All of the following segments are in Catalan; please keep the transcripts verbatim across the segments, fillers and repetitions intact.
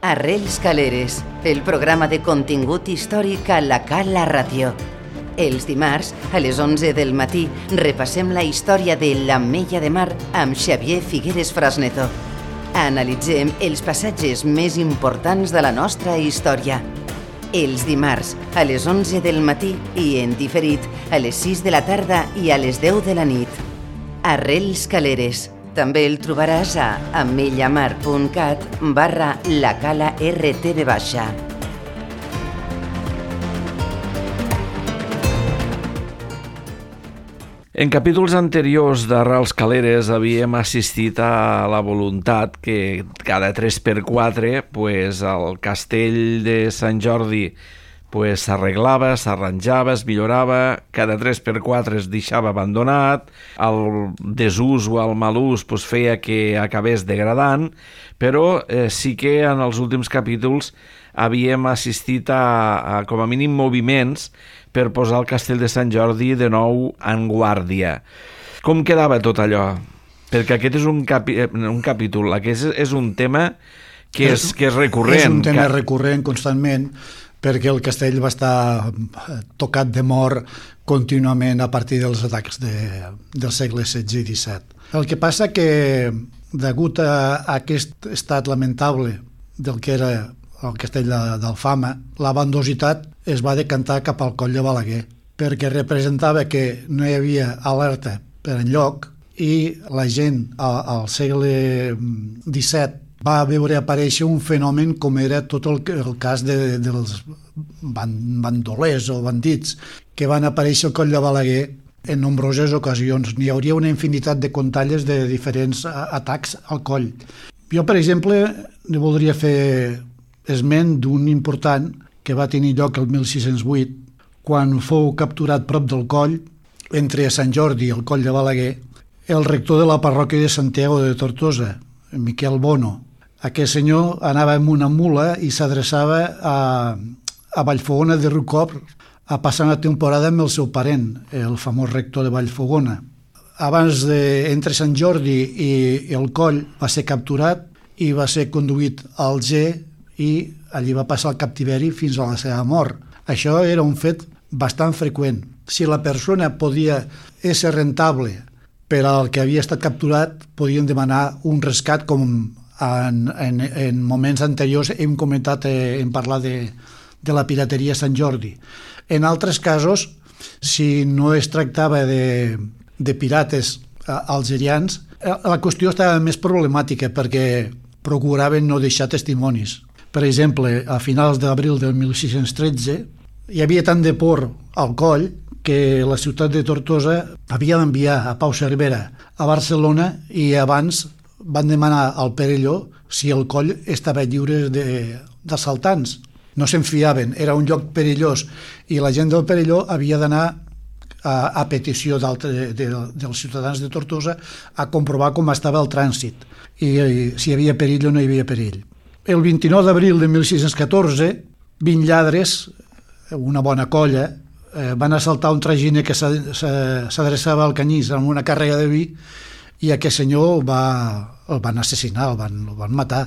Arrels Caleres, el programa de contingut històric a la Cala Ràdio. Els dimarts, a les onze del matí, repassem la història de l'Ametlla de Mar amb Xavier Figueres Frasneto. Analitzem els passatges més importants de la nostra història. Els dimarts, a les onze del matí i en diferit, a les sis de la tarda i a les deu de la nit. Arrels Caleres. També el trobaràs a amellamar.cat barra la cala rtv baixa. En capítols anteriors d'Arrels Caleres havíem assistit a la voluntat que cada tres per quatre pues, el castell de Sant Jordi pues, s'arreglava, s'arranjava, es millorava, cada tres per quatre es deixava abandonat, el desús o el mal ús pues, feia que acabés degradant, però eh, sí que en els últims capítols havíem assistit a, a com a mínim moviments per posar el castell de Sant Jordi de nou en guàrdia. Com quedava tot allò? Perquè aquest és un, capi, un capítol, aquest és, és un tema que és, que és recurrent. És un tema que... recurrent constantment, perquè el castell va estar tocat de mort contínuament a partir dels atacs de, del segle setze i disset. El que passa que, degut a aquest estat lamentable del que era el castell d'Alfama, la bandositat es va decantar cap al coll de Balaguer, perquè representava que no hi havia alerta per enlloc i la gent al, al segle disset va veure aparèixer un fenomen com era tot el, el cas de, dels bandolers o bandits que van aparèixer al coll de Balaguer en nombroses ocasions. N'hi hauria una infinitat de contalles de diferents atacs al coll. Jo, per exemple, ne voldria fer esment d'un important que va tenir lloc el mil sis-cents vuit, quan fou capturat prop del coll, entre Sant Jordi i el coll de Balaguer, el rector de la parròquia de Santiago de Tortosa, Miquel Bono. Aquest senyor anava amb una mula i s'adreçava a, a Vallfogona de Riucorb a passar una temporada amb el seu parent, el famós rector de Vallfogona. Abans de, entre Sant Jordi i, i el coll va ser capturat i va ser conduït al Alger i allí va passar el captiveri fins a la seva mort. Això era un fet bastant freqüent. Si la persona podia ser rentable per al que havia estat capturat, podien demanar un rescat com En, en, en moments anteriors hem comentat, eh, hem parlat de, de la pirateria a Sant Jordi. En altres casos, si no es tractava de, de pirates eh, algerians, eh, la qüestió estava més problemàtica perquè procuraven no deixar testimonis. Per exemple, a finals d'abril del mil sis-cents tretze hi havia tant de por al coll que la ciutat de Tortosa havia d'enviar a Pau Cervera a Barcelona i abans van demanar al Perelló si el coll estava lliure d'assaltants. No se'n fiaven, era un lloc perillós i la gent del Perelló havia d'anar a, a petició de, de, dels ciutadans de Tortosa a comprovar com estava el trànsit i, i si hi havia perill o no hi havia perill. El vint-i-nou d'abril de mil sis-cents catorze, vint lladres, una bona colla, eh, van assaltar un traginer que s'adreçava al Canyís amb una càrrega de vi i aquest senyor va, el van assassinar, el van, el van matar.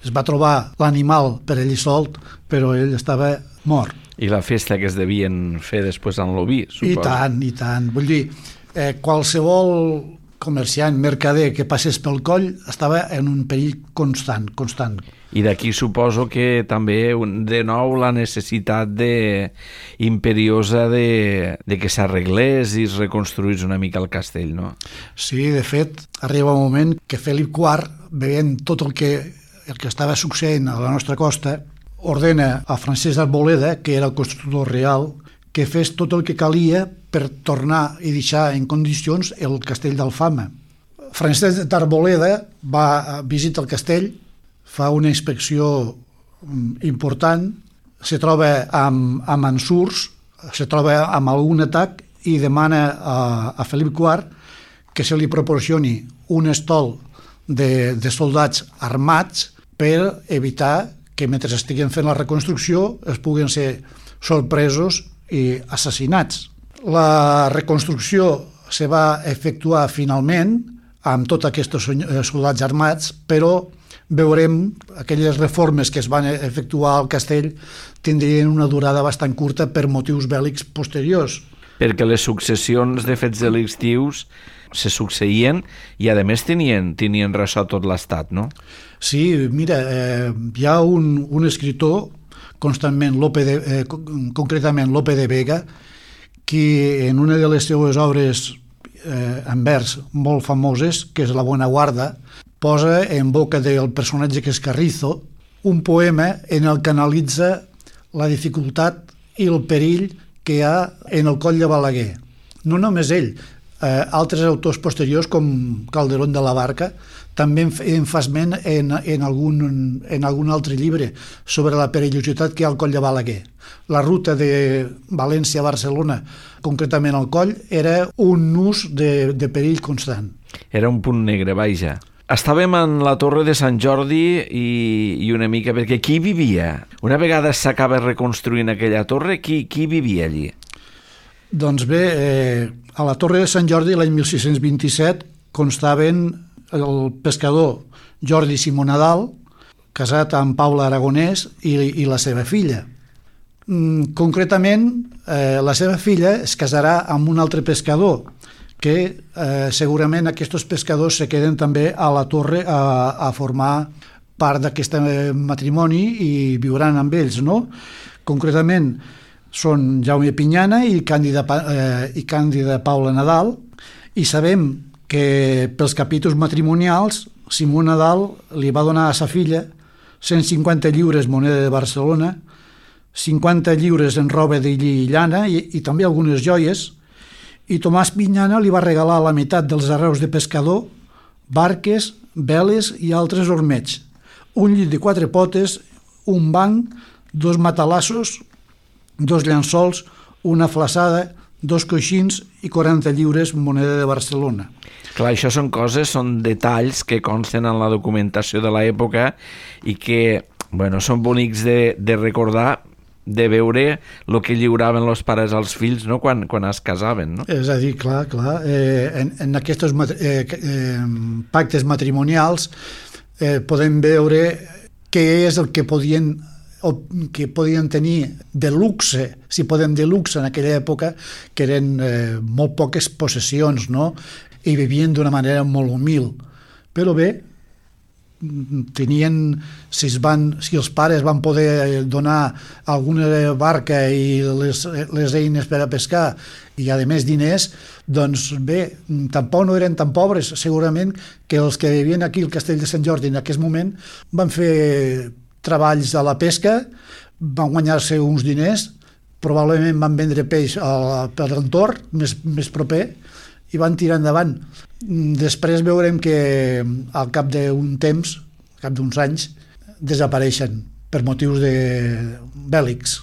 Es va trobar l'animal per ell solt, però ell estava mort. I la festa que es devien fer després en l'oví, suposo. I tant, i tant. Vull dir, eh, qualsevol comerciant, mercader que passés pel coll estava en un perill constant, constant. I d'aquí suposo que també, de nou, la necessitat de, imperiosa de, de que s'arreglés i es reconstruís una mica el castell, no? Sí, de fet, arriba un moment que Felip quart, veient tot el que, el que estava succeint a la nostra costa, ordena a Francesc d'Arboleda, que era el constructor real, que fes tot el que calia per tornar i deixar en condicions el castell d'Alfama. Francesc d'Arboleda va visitar el castell, fa una inspecció important, se troba amb, amb ensurs, se troba amb algun atac i demana a, a Felip quart que se li proporcioni un estol de, de soldats armats per evitar que mentre estiguen fent la reconstrucció es puguen ser sorpresos i assassinats. La reconstrucció se va efectuar finalment amb tots aquests soldats armats, però veurem aquelles reformes que es van efectuar al castell tindrien una durada bastant curta per motius bèl·lics posteriors. Perquè les successions de fets delictius se succeïen i, a més, tenien, tenien ressò tot l'estat, no? Sí, mira, eh, hi ha un, un escriptor, constantment Lope de, eh, concretament Lope de Vega, que en una de les seues obres eh, en vers molt famoses, que és La Buena Guarda, posa en boca del personatge que és Carrizo un poema en el que analitza la dificultat i el perill que hi ha en el coll de Balaguer. No només ell, eh, altres autors posteriors com Calderón de la Barca també en fa esment en, en, algun, en algun altre llibre sobre la perillositat que hi ha al coll de Balaguer. La ruta de València a Barcelona, concretament al coll, era un nus de, de perill constant. Era un punt negre, vaja. Estàvem en la Torre de Sant Jordi i, i una mica, perquè qui vivia? Una vegada s'acaba reconstruint aquella torre, qui, qui vivia allí? Doncs bé, eh, a la Torre de Sant Jordi l'any mil sis-cents vint-i-set constaven el pescador Jordi Simó Nadal, casat amb Paula Aragonès i, i la seva filla. Mm, concretament, eh, la seva filla es casarà amb un altre pescador, que eh, segurament aquests pescadors se queden també a la torre a, a formar part d'aquest matrimoni i viuran amb ells, no? Concretament són Jaume Pinyana i Càndida, eh, i Càndida Paula Nadal, i sabem que pels capítols matrimonials Simó Nadal li va donar a sa filla cent cinquanta lliures moneda de Barcelona, cinquanta lliures en roba de lli i llana i, i també algunes joies, i Tomàs Pinyana li va regalar la meitat dels arreus de pescador, barques, veles i altres ormeigs, un llit de quatre potes, un banc, dos matalassos, dos llençols, una flaçada, dos coixins i quaranta lliures moneda de Barcelona. Clar, això són coses, són detalls que consten en la documentació de l'època i que, bueno, són bonics de, de recordar, de veure el que lliuraven els pares als fills, no?, quan, quan es casaven, no? És a dir, clar, clar, eh, en, en aquests eh, eh, pactes matrimonials eh, podem veure què és el que podien o que podien tenir de luxe, si podem dir luxe en aquella època, que eren eh, molt poques possessions, no?, i vivien d'una manera molt humil. Però bé, tenien, si, es van, si els pares van poder donar alguna barca i les, les eines per a pescar i a més diners, doncs bé, tampoc no eren tan pobres. Segurament que els que vivien aquí al Castell de Sant Jordi en aquest moment van fer treballs a la pesca, van guanyar-se uns diners, probablement van vendre peix a, per l'entorn més, més proper i van tirar endavant. Després veurem que al cap d'un temps, al cap d'uns anys, desapareixen per motius de bèl·lics.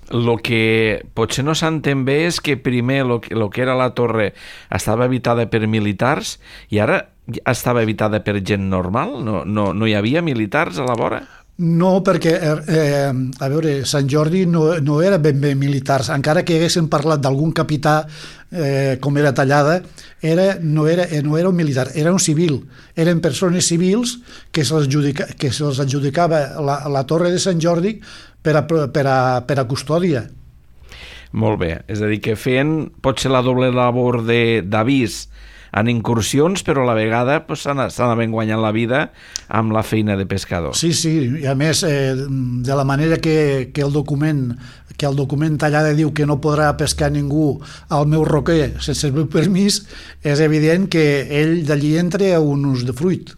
El que potser no s'entén bé és que primer el que, lo que era la torre estava habitada per militars i ara estava habitada per gent normal? No, no, no hi havia militars a la vora? No, perquè, eh, a veure, Sant Jordi no, no era ben bé militars, encara que haguessin parlat d'algun capità eh, com era Tallada, era, no, era, no era un militar, era un civil, eren persones civils que se'ls adjudica, que se'ls adjudicava la, la torre de Sant Jordi per a, per a, per a custòdia. Molt bé, és a dir, que feien potser la doble labor d'avís en incursions, però a la vegada pues, s'anaven guanyant la vida amb la feina de pescador. Sí, sí, i a més, eh, de la manera que, que el document que el document Tallada diu que no podrà pescar ningú al meu roquer sense el meu permís, és evident que ell d'allí entra a un ús de fruit.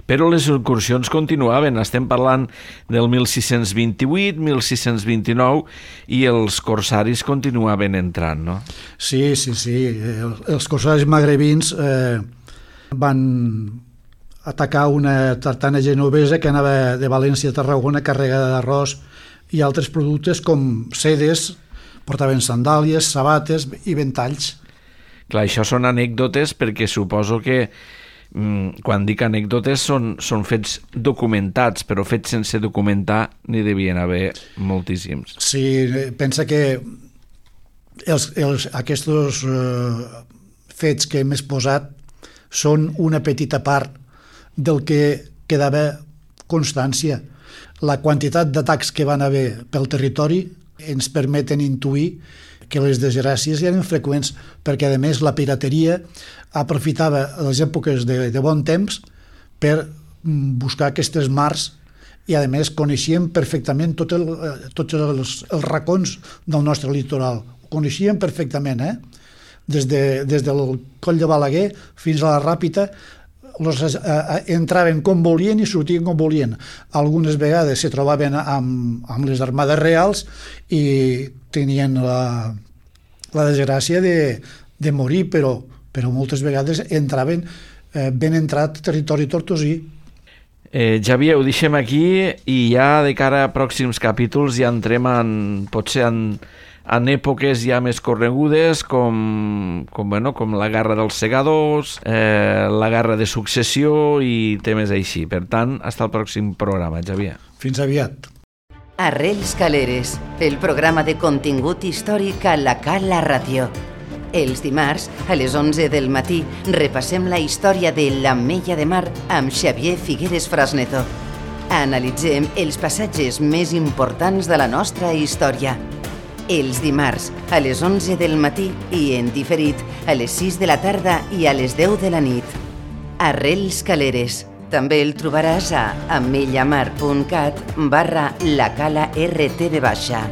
Però les incursions continuaven, estem parlant del mil sis-cents vint-i-vuit, mil sis-cents vint-i-nou, i els corsaris continuaven entrant, no? Sí, sí, sí. Els corsaris magrebins eh, van atacar una tartana genovesa que anava de València a Tarragona carregada d'arròs i altres productes com sedes, portaven sandàlies, sabates i ventalls. Clar, això són anècdotes perquè suposo que quan dic anècdotes són, són fets documentats, però fets sense documentar n'hi devien haver moltíssims. Sí, pensa que els, els, aquests eh, fets que hem exposat són una petita part del que quedava constància. La quantitat d'atacs que van haver pel territori ens permeten intuir que les desgràcies eren freqüents, perquè a més la pirateria aprofitava les èpoques de, de bon temps per buscar aquestes mars, i a més coneixien perfectament tot el, tots els, els racons del nostre litoral. Ho coneixien perfectament, eh? Des, de, des del coll de Balaguer fins a la Ràpita, los, eh, entraven com volien i sortien com volien. Algunes vegades se trobaven amb, amb les armades reals i tenien la, la desgràcia de, de morir, però, però moltes vegades entraven eh, ben entrat territori tortosí. Eh, Xavier, ho deixem aquí i ja de cara a pròxims capítols ja entrem en, potser en, en èpoques ja més corregudes com, com, bueno, com la Guerra dels Segadors, eh, la Guerra de Successió i temes així. Per tant, fins al pròxim programa, Xavier. Fins aviat. Arrels Caleres, el programa de contingut històric a la Cala Ràdio. Els dimarts, a les onze del matí, repassem la història de l'Ametlla de Mar amb Xavier Figueres Frasneto. Analitzem els passatges més importants de la nostra història. Els dimarts, a les onze del matí i en diferit, a les sis de la tarda i a les deu de la nit. Arrels Caleres. També el trobaràs a amellamar punt cat barra la cala R T V baixa.